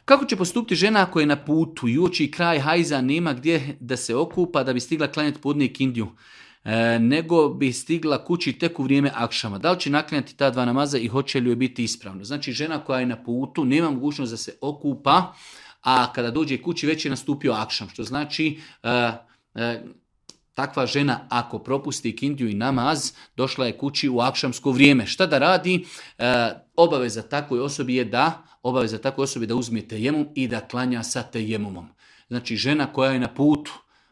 Kako će postupiti žena ako je na putu i uoči kraj hajza, nema gdje da se okupa da bi stigla klanjati podne ikindiju, nego bi stigla kući tek u vrijeme akšama? Da li će naklanjati ta dva namaza i hoće li joj biti ispravno? Znači žena koja je na putu nema mogućnost da se okupa, a kada dođe kući već je nastupio akšam, što znači takva žena ako propusti ikindiju i namaz, došla je kući u akšamsko vrijeme. Šta da radi? Obaveza takvoj osobi je da uzme tejemum i da klanja sa tejemumom. Znači žena koja je na putu,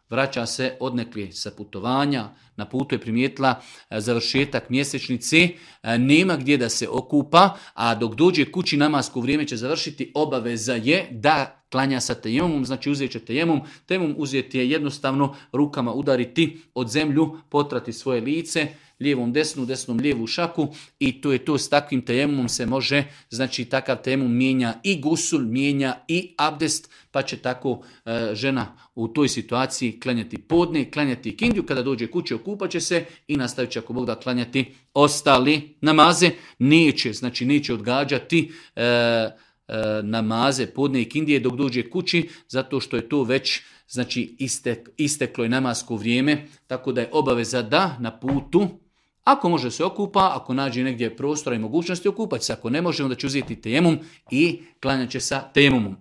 vraća se odnekli sa putovanja, na putu je primijetila završetak mjesečnice, nema gdje da se okupa, a dok dođe kući namasko vrijeme će završiti, obaveza je da klanja sa tejemumom, znači uzet će tejemum. Tejemum uzeti je jednostavno rukama udariti od zemlju, potrati svoje lice, lijevom desnu, desnom lijevu šaku i to je to. S takvim tejemumom se može, znači takav tejemum mijenja i gusul, mijenja i abdest, pa će tako žena u toj situaciji klanjati podne, klanjati ikindiju, kada dođe kući okupat će se i nastavit će ako Bog da klanjati ostali namaze. Neće odgađati namaze podne ikindije dok dođe kući, zato što je to već isteklo je namasko vrijeme, tako da je obaveza da na putu, ako može se okupa, ako nađe negdje prostora i mogućnosti, okupat se. Ako ne može, onda će uzeti tejemum i klanjat će sa tejemumom.